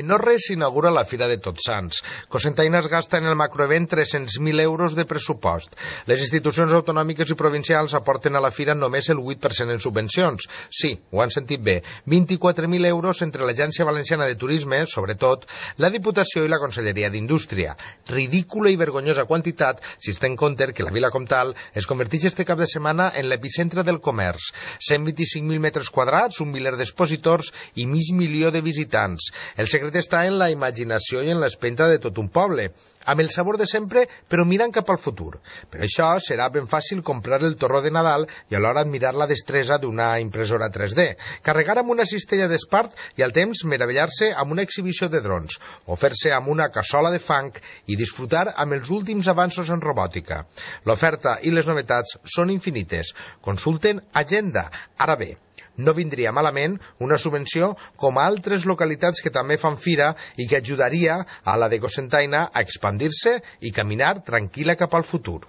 En no res s'inaugura la Fira de Tots Sants. Cocentaina es gasta en el macroevent 300.000 euros de pressupost. Les institucions autonòmiques i provincials aporten a la Fira només el 8% en subvencions. Sí, ho han sentit bé. 24.000 euros entre l'Agència Valenciana de Turisme, sobretot, la Diputació i la Conselleria d'Indústria. Ridícula i vergonyosa quantitat si es té en compte que la Vila Comtal es converteix este cap de setmana en l'epicentre del comerç. 125.000 metres quadrats, un miler d'expositors i mig milió de visitants. El secret està en la imaginació i en l'espenta de tot un poble, amb el sabor de sempre, però mirant cap al futur. Per això serà ben fàcil comprar el torró de Nadal i alhora admirar la destresa d'una impressora 3D, carregar amb una cistella d'espart i al temps meravellar-se amb una exhibició de drons, o fer-se amb una cassola de fang i disfrutar amb els últims avanços en robòtica. L'oferta i les novetats són infinites. Consulten Agenda. Ara bé, no vindria malament una subvenció com a altres localitats que també fan fira i que ajudaria a la de Cocentaina a expandir-se i caminar tranquil·la cap al futur.